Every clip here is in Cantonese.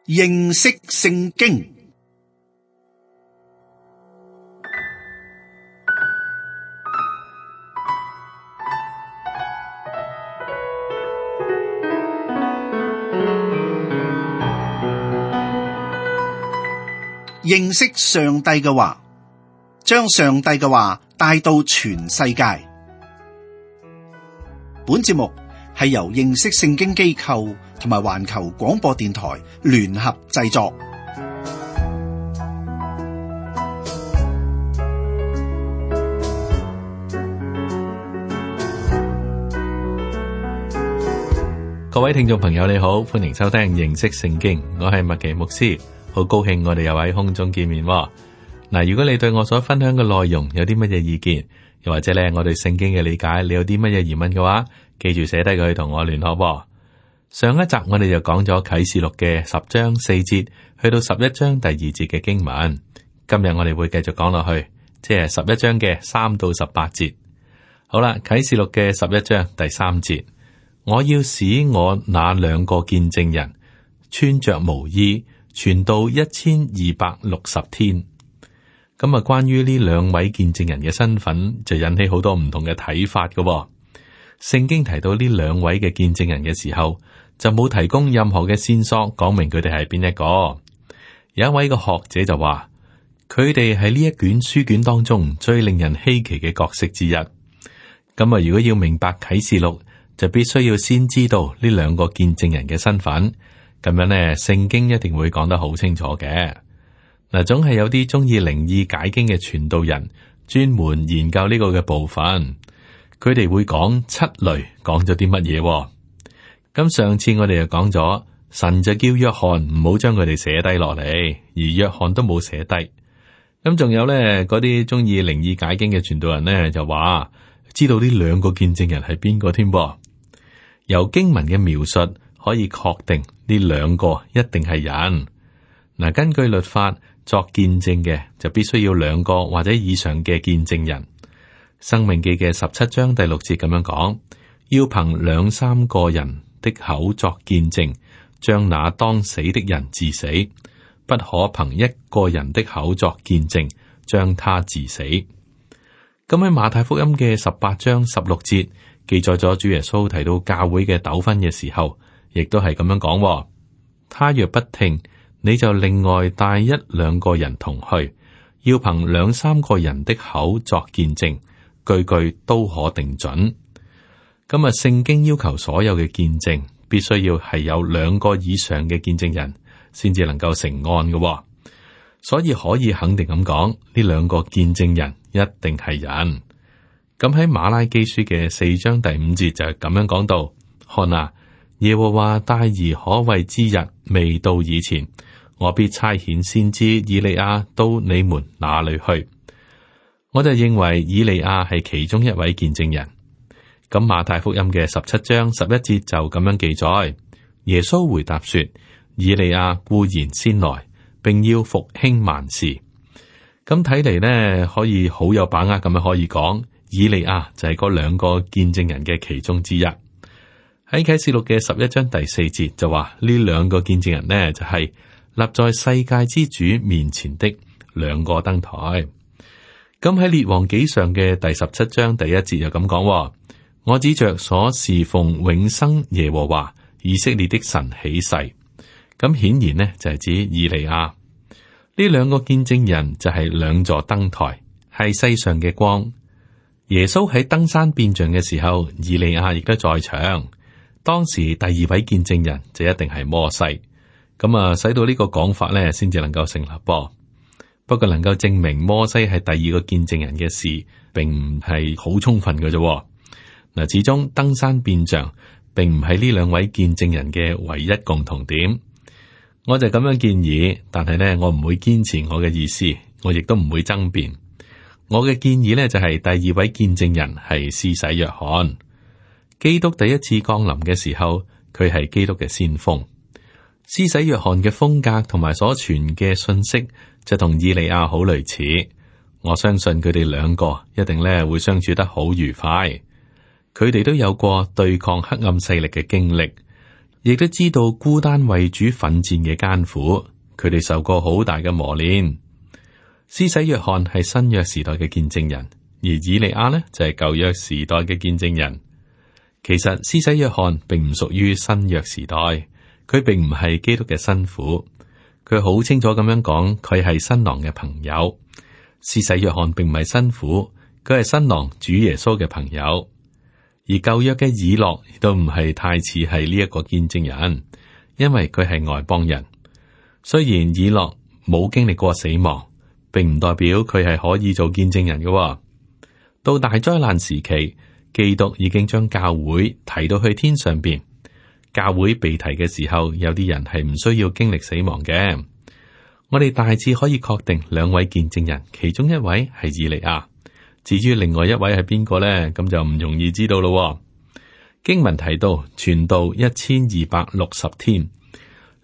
認識聖經。認識上帝嘅話，將上帝嘅話帶到全世界。本節目係由認識聖經機構同埋環球廣播電台聯合製作。各位聽眾朋友你好，歡迎收聽認識聖經，我係麥奇牧師，好高興我哋又喺空中見面。嗱，如果你對我所分享嘅內容有啲乜嘢意見，又或者咧我對聖經嘅理解，你有啲乜嘢疑問嘅話，記住寫低佢同我聯絡。上一集我哋就講咗啟示錄嘅10章4節去到11章第2節嘅經文，今日我哋會繼續講落去，即係11章嘅3到18節。好啦，啟示錄嘅11章第3節，我要使我那兩個見證人穿着毛衣，傳道1260天。咁啊，關於呢兩位見證人嘅身份，就引起好多唔同嘅睇法嘅。聖經提到呢兩位嘅見證人嘅時候，就冇提供任何嘅線索，講明佢哋係邊一個。有一位嘅學者就話，佢哋係呢一卷書卷當中最令人稀奇嘅角色之一。咁啊，如果要明白啟示錄，就必須要先知道呢兩個見證人嘅身份。咁樣呢，聖經一定會講得好清楚嘅。嗱，總係有啲中意靈意解經嘅傳道人，專門研究呢個嘅部分。佢哋會講七類，講咗啲乜嘢？咁上次我哋就講咗，神就叫約翰唔好將佢哋寫低落嚟，而約翰都冇寫低。咁仲有咧，嗰啲中意靈意解經嘅傳道人咧，就話知道呢兩個見證人係邊個添噃。由經文嘅描述可以確定呢兩個一定係人。嗱，根據律法作見證嘅就必須要兩個或者以上嘅見證人。申命記嘅17章第6節咁樣講，要憑2、3個人的口作見證，將那當死的人治死，不可憑一個人的口作見證，將他治死。咁喺馬太福音嘅18章16節記載咗主耶穌提到教會嘅糾紛嘅時候，亦都係咁樣講，他若不聽，你就另外帶1、2個人同去，要憑2、3個人的口作見證，句句都可定準。咁啊，聖經要求所有嘅見證必須要係有2個以上嘅見證人，先至能夠成案嘅。所以可以肯定咁講，呢2個見證人一定係人。咁喺馬拉基書嘅4章第5節就係咁樣講到：看啊，耶和華大而可畏之日未到以前，我必差遣先知以利亞到你們那裏去。我就認為以利亞係其中一位見證人。咁馬太福音嘅17章11節就咁樣記載，耶穌回答說：以利亞固然先來，並要復興萬事。咁睇嚟呢，可以好有把握咁樣可以講，以利亞就係嗰2個見證人嘅其中之一。喺啟示錄嘅11章第4節就話，呢2個見證人呢，就係立在世界之主面前的2個燈台。咁喺列王紀上嘅第17章第1節就咁講，我指着所侍奉永生耶和華以色列的神起誓。咁顯然呢就係指以利亞。呢2個見證人就係2座燈台，係世上嘅光。耶穌喺登山變像嘅時候，以利亞亦都在場。當時第2位見證人就一定係摩西。咁啊，使到呢個講法咧，先至能夠成立噃。不過能夠證明摩西係第2個見證人嘅事，並唔係好充分嘅啫。嗱，始終登山變像並唔係呢2位見證人嘅唯一共同點。我就咁樣建議，但係呢，我唔會堅持我嘅意思，我亦都唔會爭辯。我嘅建議呢，就係第2位見證人係施洗約翰。基督第一次降臨嘅時候，佢係基督嘅先鋒。施洗約翰嘅風格同埋所傳嘅信息就同以利亞好類似。我相信佢哋2個一定咧會相處得好愉快。佢哋都有過對抗黑暗勢力嘅經歷，亦都知道孤單為主奮戰嘅艱苦，佢哋受過好大嘅磨練。施洗約翰係新約時代嘅見證人，而以利亞呢就係舊約時代嘅見證人。其實施洗約翰並唔屬於新約時代，佢並唔係基督嘅新婦，佢好清楚咁樣講，佢係新郎嘅朋友。施洗約翰並唔係新婦，佢係新郎主耶穌嘅朋友。而舊約嘅以諾亦都唔係太似係呢一個見證人，因為佢係外邦人。雖然以諾冇經歷過死亡，並唔代表佢係可以做見證人嘅。到大災難時期，基督已經將教會提到去天上邊。教會被提嘅時候，有啲人係唔需要經歷死亡嘅。我哋大致可以確定兩位見證人，其中一位係以利亞。至於另外一位係邊個呢？咁就唔容易知道咯。經文提到傳道1260天，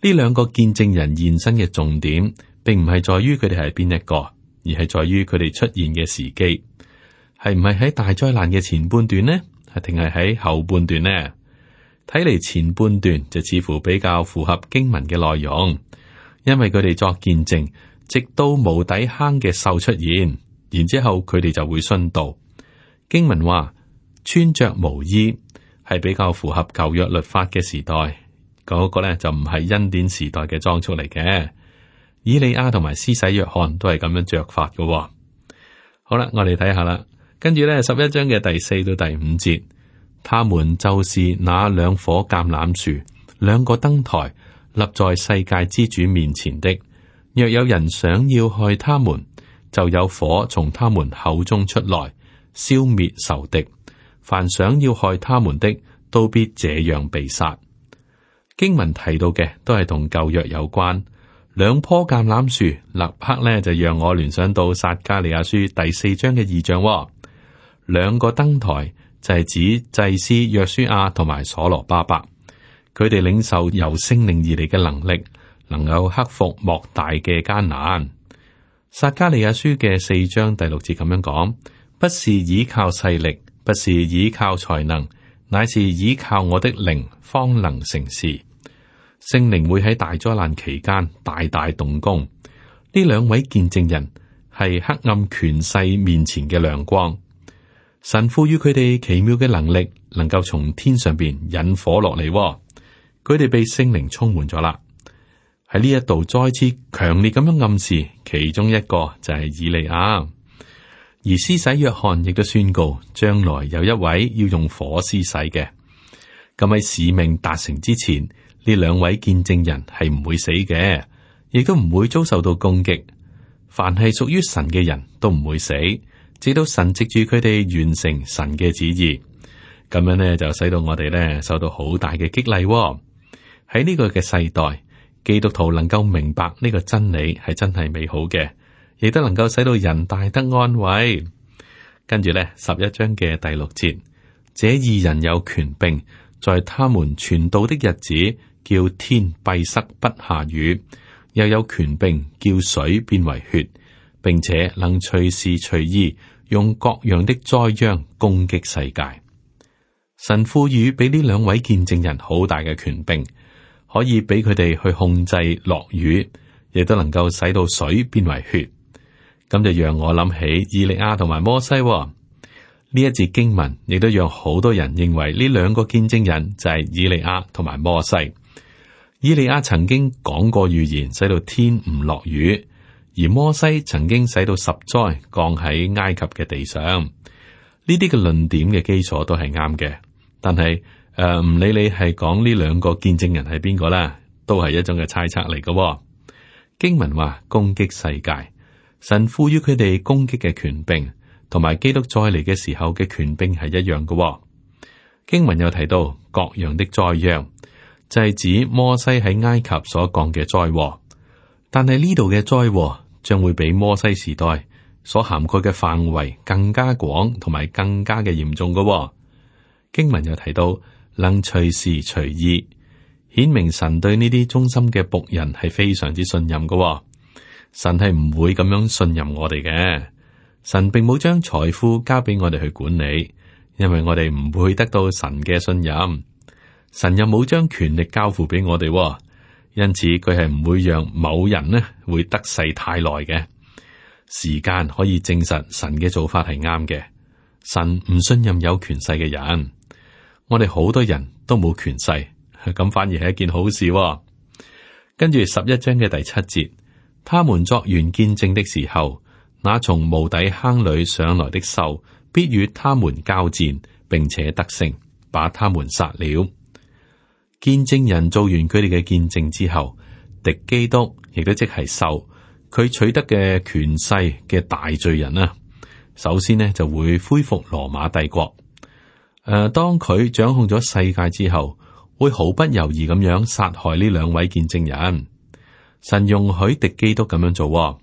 呢兩個見證人現身嘅重點，並唔係在於佢哋係邊一個，而係在於佢哋出現嘅時機，係唔係喺大災難嘅前半段呢？定係喺後半段呢？睇嚟前半段就似乎比較符合經文嘅內容，因為佢哋作見證，直到無底坑嘅獸出現。然之後佢哋就會殉道。經文話穿着毛衣係比較符合舊約律法嘅時代，嗰個咧就唔係恩典時代嘅裝束嚟嘅。以利亞同埋施洗約翰都係咁樣着法嘅。好啦，我哋睇下啦，跟住咧11章嘅第4到第5節，他們就是那兩棵橄欖樹，兩個燈台，立在世界之主面前的。若有人想要害他們，就有火從他們口中出來，消滅仇敵。凡想要害他們的，都必這樣被殺。經文提到嘅都係同舊約有關。兩棵橄欖樹，立刻呢就讓我聯想到撒迦利亞書第4章嘅異象。兩個燈台就係指祭司約書亞同埋所羅巴伯，佢哋領受由聖靈而嚟嘅能力，能夠克服莫大嘅艱難。撒迦利亞書嘅4章第6節咁樣講：不是倚靠勢力，不是倚靠才能，乃是倚靠我的靈，方能成事。聖靈會喺大災難期間大大動工。呢兩位見證人係黑暗權勢面前嘅亮光。神賦予佢哋奇妙嘅能力，能夠從天上邊引火落嚟。佢哋被聖靈充滿咗啦。喺呢一度再次強烈咁樣暗示，其中一個就係以利亞，而施洗約翰亦都宣告，將來有一位要用火施洗嘅。咁喺使命達成之前，呢兩位見證人係唔會死嘅，亦都唔會遭受到攻擊。凡係屬於神嘅人都唔會死，直到神藉住佢哋完成神嘅旨意。咁樣呢，就使到我哋呢受到好大嘅激勵。喺呢個嘅世代，基督徒能夠明白呢個真理係真係美好嘅，亦都能夠使到人大得安慰。跟住呢11章嘅第6節，這二人有權柄，在他們傳道的日子，叫天閉塞不下雨，又有權柄叫水變為血，並且能隨時隨意用各樣的災殃攻擊世界。神賦予俾呢兩位見證人好大嘅權柄，可以俾佢哋去控制落雨，亦都能夠使到水變為血。咁就讓我諗起以利亞同埋摩西。呢一節經文亦都讓好多人認為呢兩個見證人就係以利亞同埋摩西。以利亞曾經講過預言，使到天唔落雨，而摩西曾經使到10災降喺埃及嘅地上。呢啲嘅論點嘅基礎都係啱嘅，但係唔理你係講呢兩個見證人係邊個啦，都係一種嘅猜測嚟嘅。經文話攻擊世界，神賦予佢哋攻擊嘅權柄，同埋基督再嚟嘅時候嘅權柄係一樣嘅。經文又提到各樣的災殃，就係指摩西喺埃及所講嘅災禍，但係呢度嘅災禍將會比摩西時代所涵蓋嘅範圍更加廣，同埋更加嘅嚴重嘅。經文又提到能隨時隨意，顯明神對呢啲忠心嘅僕人係非常之信任嘅。神係唔會咁樣信任我哋嘅。神並冇將財富交俾我哋去管理，因為我哋唔會得到神嘅信任。神又冇將權力交付俾我哋，因此佢係唔會讓某人呢會得勢太耐嘅。時間可以證實神嘅做法係啱嘅。神唔信任有權勢嘅人，我哋好多人都冇權勢，咁反而係一件好事。跟住11章嘅第7節，他們作完見證的時候，那從無底坑裏上來的獸必與他們交戰，並且得勝，把他們殺了。見證人做完佢哋嘅見證之後，敵基督亦都即係獸，佢取得嘅權勢嘅大罪人啊，首先呢就會恢復羅馬帝國。當佢掌控咗世界之後，會毫不猶豫咁樣殺害呢2位見證人。神容許敵基督咁樣做，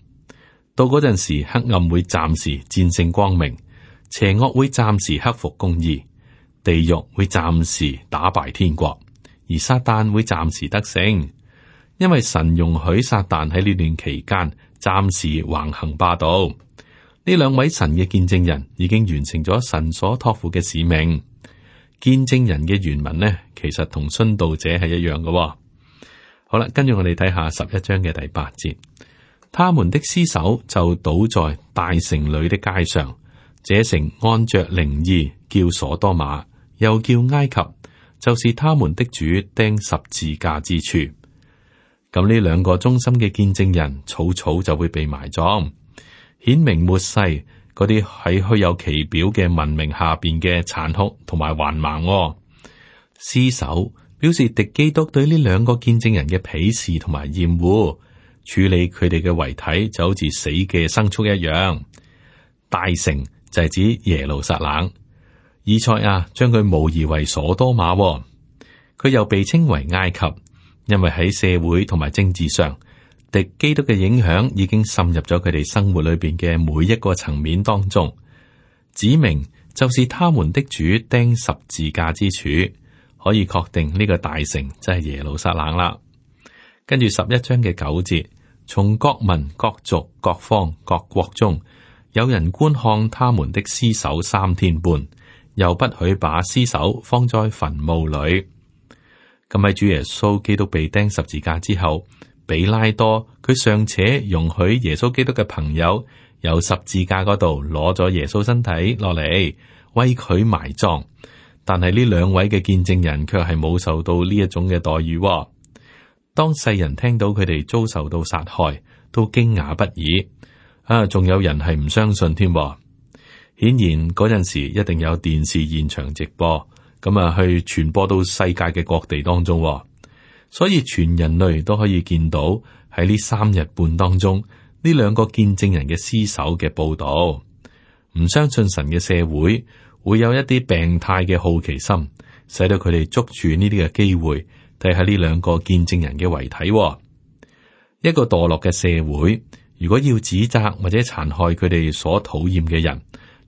到嗰陣時，黑暗會暫時戰勝光明，邪惡會暫時克服公義，地獄會暫時打敗天國，而撒旦會暫時得勝，因為神容許撒旦喺呢段期間暫時橫行霸道。呢2位神嘅見證人已經完成咗神所託付嘅使命。見證人嘅原文呢，其實同殉道者係一樣嘅。好啦，跟住我哋睇下11章嘅第8節，他們的屍首就倒在大城裏的街上，這城按着靈意叫所多瑪，又叫埃及，就是他們的主釘十字架之處。咁呢2個忠心嘅見證人，草草就會被埋葬，顯明末世嗰啲喺虛有其表嘅文明下邊嘅殘酷同埋橫蠻。屍首表示敵基督對呢2個見證人嘅鄙視同埋厭惡，處理佢哋嘅遺體就好似死嘅牲畜一樣。大城就係指耶路撒冷，以賽亞將佢模擬為所多瑪，佢又被稱為埃及，因為喺社會同埋政治上，敵基督嘅影響已經滲入咗佢哋生活裏邊嘅每一個層面當中，指明就是他們的主釘十字架之處，可以確定呢個大城就係耶路撒冷啦。跟住11章嘅9節，從各民、各族、各方、各國中，有人觀看他們的屍首3天半，又不許把屍首放在墳墓裏。咁喺主耶穌基督被釘十字架之後，比拉多佢尚且容許耶穌基督嘅朋友由十字架嗰度攞咗耶穌身體落嚟為佢埋葬，但係呢2位嘅見證人卻係冇受到呢一種嘅待遇。當世人聽到佢哋遭受到殺害，都驚訝不已。仲有人係唔相信添。顯然嗰陣時一定有電視現場直播，咁去傳播到世界嘅各地當中。所以全人類都可以見到喺呢3日半當中呢2個見證人嘅屍首嘅報道。唔相信神嘅社會會有一啲病態嘅好奇心，使到佢哋捉住呢啲嘅機會睇下呢2個見證人嘅遺體。一個墮落嘅社會，如果要指責或者殘害佢哋所討厭嘅人，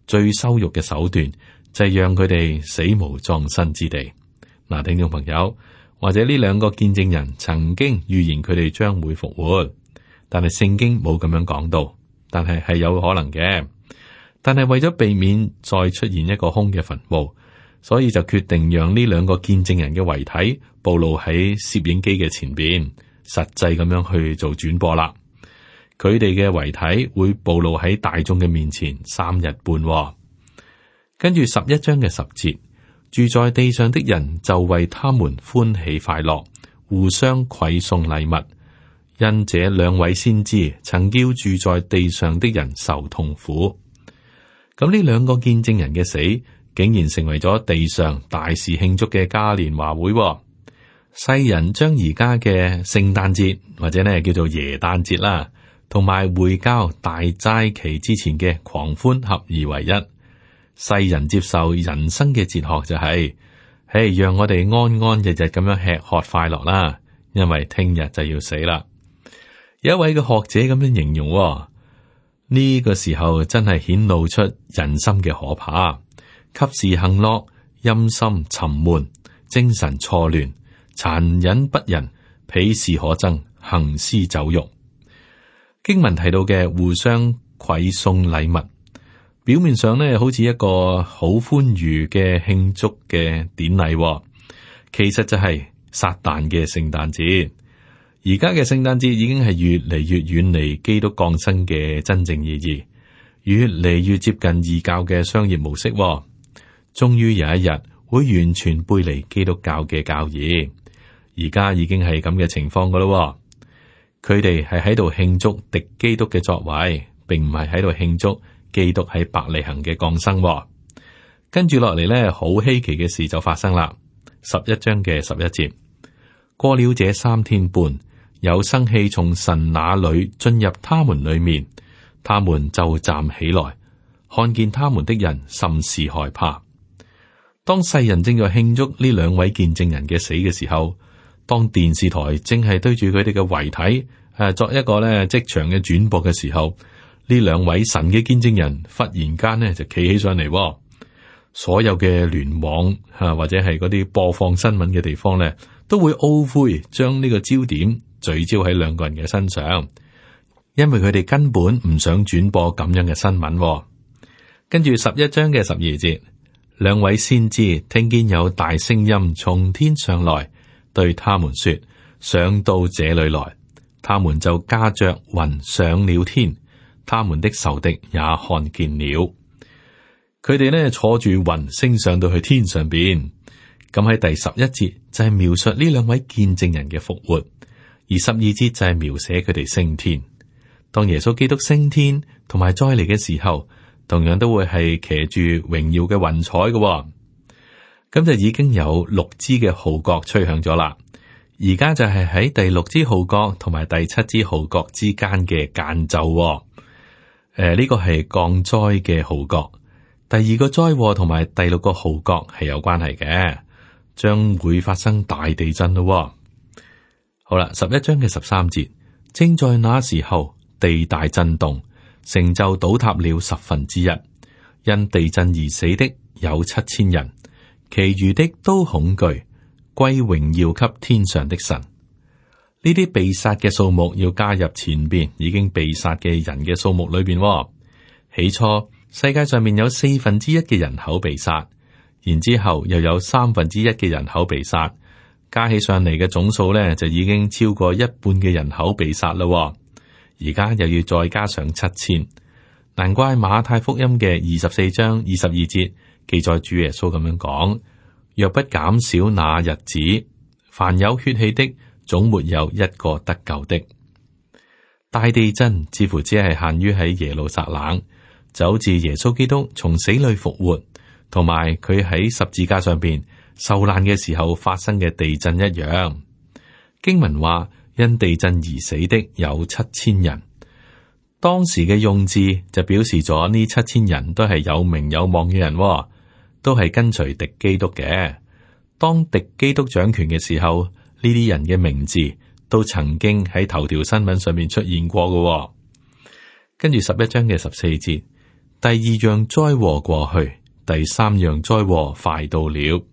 最羞辱嘅手段就係讓佢哋死無葬身之地。嗱，聽眾朋友，或者呢2個見證人曾經預言佢哋將會復活，但係聖經冇咁樣講到，但係係有可能嘅。但係為咗避免再出現一個空嘅墳墓，所以就決定讓呢2個見證人嘅遺體暴露喺攝影機嘅前邊，實際咁樣去做轉播啦。佢哋嘅遺體會暴露喺大眾嘅面前3日半。跟住11章嘅10節，住在地上的人就為他們歡喜快樂，互相饋送禮物，因這2位先知曾叫住在地上的人受痛苦。咁呢2個見證人嘅死，竟然成為咗地上大肆慶祝嘅嘉年華會。世人將而家嘅聖誕節或者呢叫做耶誕節啦，同埋回教大齋期之前嘅狂歡合而為一。世人接受人生嘅哲學就係，讓我哋安安日日咁樣吃喝快樂啦，因為聽日就要死啦。有一位嘅學者咁樣形容，呢個時候真係顯露出人心嘅可怕，及時行樂，陰森沉悶，精神錯亂，殘忍不仁，鄙視可憎，行屍走肉。經文提到嘅互相饋送禮物，表面上呢好似一個好歡愉嘅慶祝嘅典禮，其實就係撒旦嘅聖誕節。而家嘅聖誕節已經係越嚟越遠離基督降生嘅真正意義，越嚟越接近異教嘅商業模式。終於有一日會完全背離基督教嘅教義。而家已經係咁嘅情況噶咯。佢哋係喺度慶祝敵基督嘅作為，並唔係喺度慶祝基督喺伯利恆嘅降生。跟住落嚟呢，好稀奇嘅事就發生啦。11章嘅11節，過了這3天半，有生氣從神那裏進入他們裏面，他們就站起來，看見他們的人甚是害怕。當世人正在慶祝呢2位見證人嘅死嘅時候，當電視台正係對住佢哋嘅遺體作一個咧即場嘅轉播嘅時候，呢2位神嘅見證人忽然間呢就企起上嚟，所有嘅聯網或者係嗰啲播放新聞嘅地方咧，都會懊悔將呢個焦點聚焦喺2個人嘅身上，因為佢哋根本唔想轉播咁樣嘅新聞。跟住11章嘅12節，2位先知聽見有大聲音從天上來，對他們說：上到這裏來。他們就駕着雲上了天，他們的仇敵也看見了。佢哋呢坐住雲升上到去天上邊。咁喺第11節就係描述呢2位見證人嘅復活，而12節就係描寫佢哋升天。當耶穌基督升天同埋再嚟嘅時候，同樣都會係騎住榮耀嘅雲彩嘅。咁就已經有6支嘅號角吹響咗啦。而家就係喺第6支號角同埋第7支號角之間嘅間奏。呢個係降災嘅號角。第2個災禍同埋第6個號角係有關係嘅，將會發生大地震咯。好啦，11章嘅13節，正在那時候，地大震動，城就倒塌了1/10，因地震而死的有7000人，其餘的都恐懼，歸榮耀給天上的神。呢啲被殺嘅數目要加入前邊已經被殺嘅人嘅數目裏邊。起初世界上面有1/4嘅人口被殺，然之後又有1/3嘅人口被殺，加起上嚟嘅總數呢，就已經超過1半嘅人口被殺啦。而家又要再加上7000，難怪馬太福音嘅24章22節記載主耶穌咁樣講：若不減少那日子，凡有血氣的總沒有一個得救的。大地震似乎只係限於喺耶路撒冷，就好似耶穌基督從死裏復活，同埋佢喺十字架上邊受難嘅時候發生嘅地震一樣。經文話，因地震而死的有7000人。當時嘅用字就表示咗呢7000人都係有名有望嘅人，都係跟隨敵基督嘅。當敵基督掌權嘅時候，呢啲人嘅名字都曾經喺頭條新聞上面出現過嘅。跟住11章嘅14節，第2樣災禍過去，第3樣災禍快到了。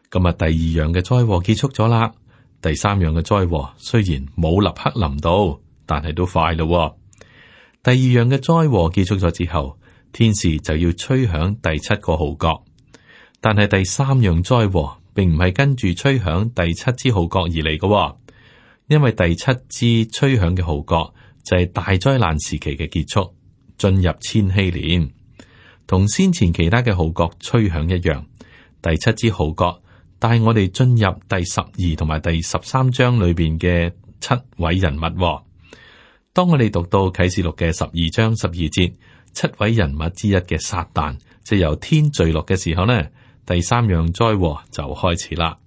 咁啊，第2樣嘅災禍結束咗啦。第3樣嘅災禍雖然冇立刻臨到，但係都快咯。第2樣嘅災禍結束咗之後，天使就要吹響第7個號角。但係第3樣災禍並唔係跟住吹響第7支號角而嚟嘅，因為第7支吹響嘅號角就係大災難時期嘅結束，進入千禧年，同先前其他嘅號角吹響一樣。第7支號角帶我哋進入第12同埋第13章裏邊嘅7位人物。當我哋讀到啟示錄嘅12章12節，7位人物之一嘅撒旦就由天墜落嘅時候呢，第3樣災禍就開始啦。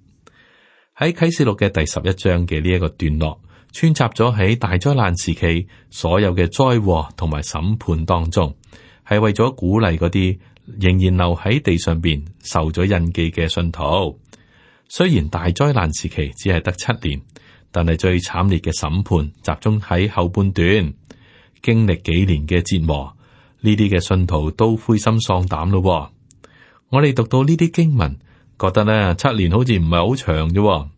喺啟示錄嘅第11章嘅呢一個段落，穿插咗喺大災難時期所有嘅災禍同埋審判當中，係為咗鼓勵嗰啲仍然留喺地上邊受咗印記嘅信徒。雖然大災難時期只係得7年，但係最慘烈嘅審判集中喺後半段，經歷幾年嘅折磨，呢啲嘅信徒都灰心喪膽咯。我哋讀到呢啲經文，覺得呢7年好似唔係好長啫。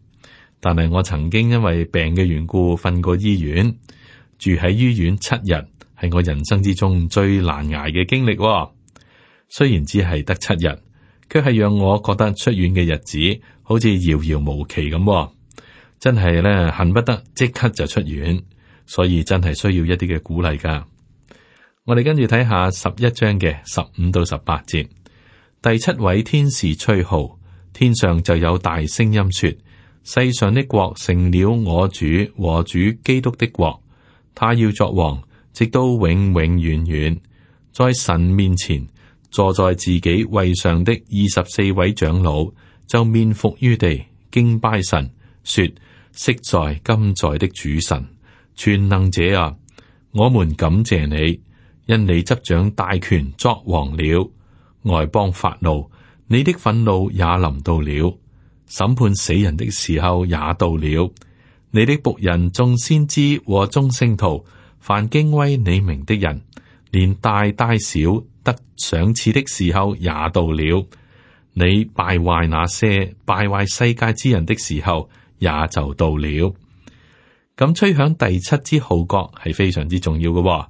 但係我曾經因為病嘅緣故瞓過醫院，住喺醫院7日，係我人生之中最難捱嘅經歷。雖然只係得7日，卻係讓我覺得出院嘅日子好似遙遙無期咁，真係咧恨不得即刻就出院，所以真係需要一啲嘅鼓勵噶。我哋跟住睇下11章嘅15到18節，第7位天使吹號，天上就有大聲音說：世上的國成了我主和主基督的國，他要作王，直到永永遠遠。在神面前坐在自己位上的24位長老就面伏於地，敬拜神，說：昔在今在的主神，全能者啊，我們感謝你，因你執掌大權作王了。外邦發怒，你的憤怒也臨到了，審判死人的時候也到了。你的僕人眾先知和眾聖徒，凡敬畏你名的人，連大小得賞賜的時候也到了。你敗壞那些敗壞世界之人的時候也就到了。咁吹響第7支號角係非常之重要嘅，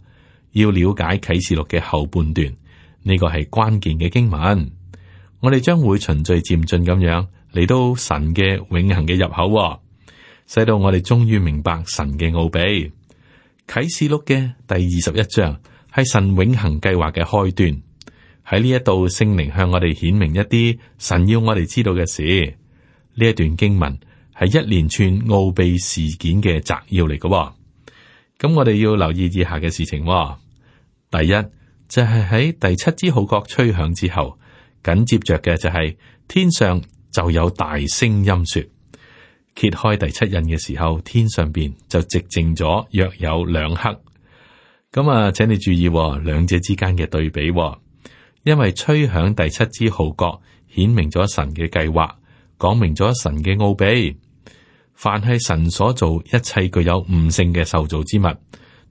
要了解啟示錄嘅後半段，呢個係關鍵嘅經文。我哋將會循序漸進咁樣嚟到神嘅永恆嘅入口，使到我哋終於明白神嘅奧秘。啟示錄嘅第21章係神永恆計劃嘅開端。喺呢一度，聖靈向我哋顯明一啲神要我哋知道嘅事。呢一段經文係一連串奧秘事件嘅摘要嚟嘅。咁我哋要留意以下嘅事情。第一就係喺第7支號角吹響之後，緊接着嘅就係天上就有大聲音說。揭開第7印嘅時候，天上邊就寂靜咗約有2刻。咁請你注意兩者之間嘅對比，因為吹響第7支號角，顯明咗神嘅計劃，講明咗神嘅奧秘。凡係神所做一切具有悟性嘅受造之物，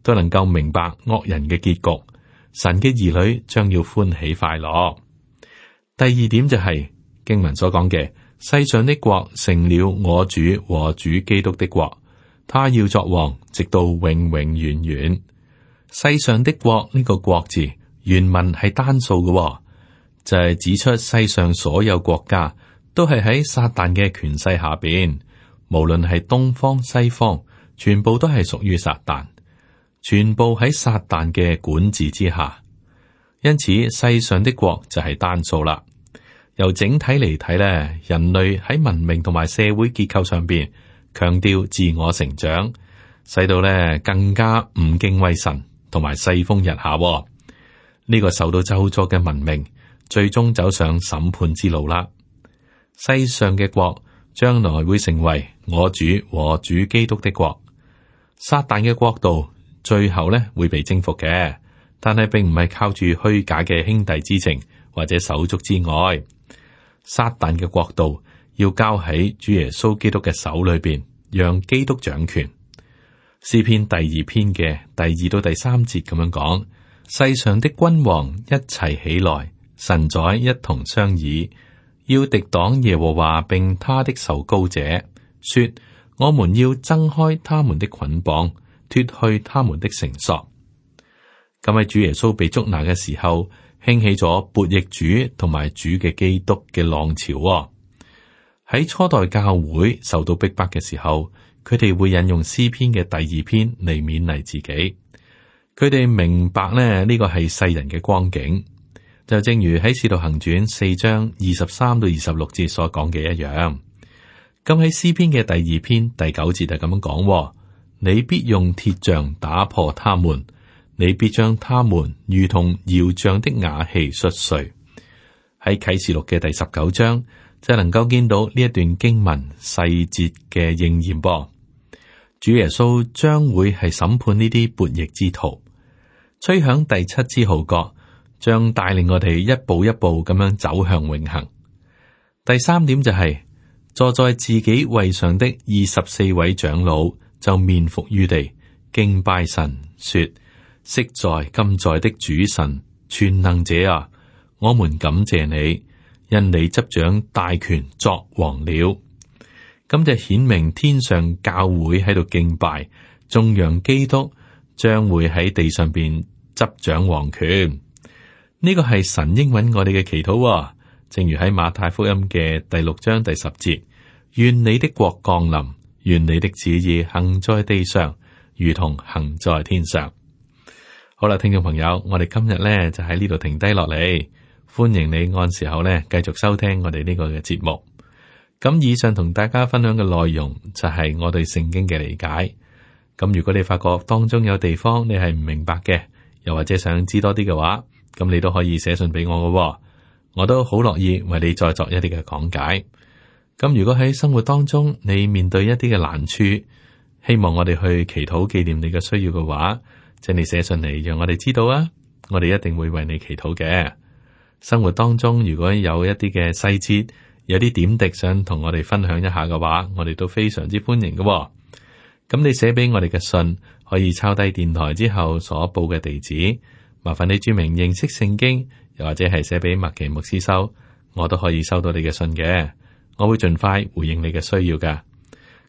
都能夠明白惡人嘅結局。神嘅兒女將要歡喜快樂。第二點就係經文所講嘅。世上的國成了我主和主基督的國，他要作王，直到永永遠遠。世上的國呢個國字原文係單數嘅，就係指出世上所有國家都係喺撒旦嘅權勢下邊，無論係東方西方，全部都係屬於撒旦，全部喺撒旦嘅管治之下。因此，世上的國就係單數啦。由整體嚟睇咧，人類喺文明同埋社會結構上邊強調自我成長，使到咧更加唔敬畏神，同埋世風日下。呢個受到咒詛嘅文明，最終走上審判之路啦。世上嘅國將來會成為我主和主基督的國，撒旦嘅國度最後咧會被征服嘅，但係並唔係靠住虛假嘅兄弟之情或者手足之愛。撒旦嘅國度要交喺主耶穌基督嘅手裏邊，讓基督掌權。詩篇第2篇嘅第2到第3節咁樣講：世上的君王一齊起來，神宰一同商議，要敵擋耶和華並他的受膏者，說：我們要掙開他們的捆綁，脫去他們的繩索。咁喺主耶穌被捉拿嘅時候，興起咗悖逆主同埋主嘅基督嘅浪潮。喺初代教會受到逼迫嘅時候，佢哋會引用詩篇嘅第2篇嚟勉勵自己。佢哋明白咧，呢個係世人嘅光景，就正如喺使徒行傳4章23到26節所講嘅一樣。咁喺詩篇嘅第2篇第9節就咁樣講：你必用鐵杖打破他們，你必將他們如同窯匠的瓦器摔碎。喺啟示錄嘅第19章就能夠見到呢一段經文細節嘅應驗噃。主耶穌將會係審判呢啲悖逆之徒，吹響第7支號角，將帶領我哋一步一步咁樣走向永恆。第3點就係、坐在自己位上的24位長老就面伏於地，敬拜神，說：昔在今在的主神，全能者啊，我們感謝你，因你執掌大權作王了。咁就顯明天上教會喺度敬拜，頌揚基督將會喺地上邊執掌王權。呢個係神應允我哋嘅祈禱，正如喺馬太福音嘅第6章第10節，願你的國降臨，願你的旨意行在地上，如同行在天上。好啦，聽眾朋友，我哋今日咧就喺呢度停低落嚟，歡迎你按時候咧繼續收聽我哋呢個嘅節目。咁以上同大家分享嘅內容就係我對聖經嘅理解。咁如果你發覺當中有地方你係唔明白嘅，又或者想知多啲嘅話，咁你都可以寫信俾我嘅，我都好樂意為你再作一啲嘅講解。咁如果喺生活當中你面對一啲嘅難處，希望我哋去祈禱紀念你嘅需要嘅話，請你寫信嚟讓我哋知道啊，我哋一定會為你祈禱嘅。生活當中如果有一啲嘅細節，有啲點滴想同我哋分享一下嘅話，我哋都非常之歡迎嘅。咁你寫俾我哋嘅信，可以抄低電台之後所報嘅地址，麻煩你注明認識聖經，又或者係寫俾麥奇牧師收，我都可以收到你嘅信嘅，我會盡快回應你嘅需要噶。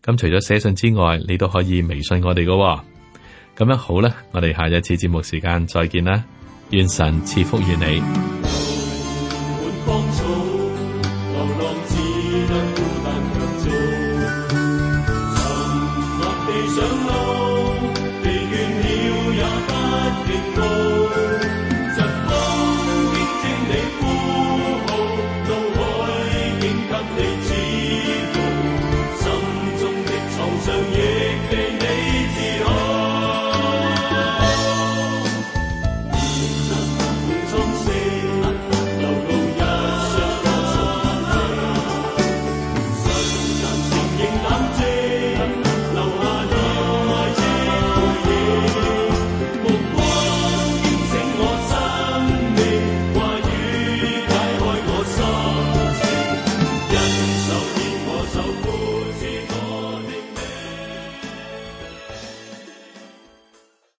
咁除咗寫信之外，你都可以微信我哋嘅。咁樣好啦，我哋下一次節目時間再見啦，願神賜福於你。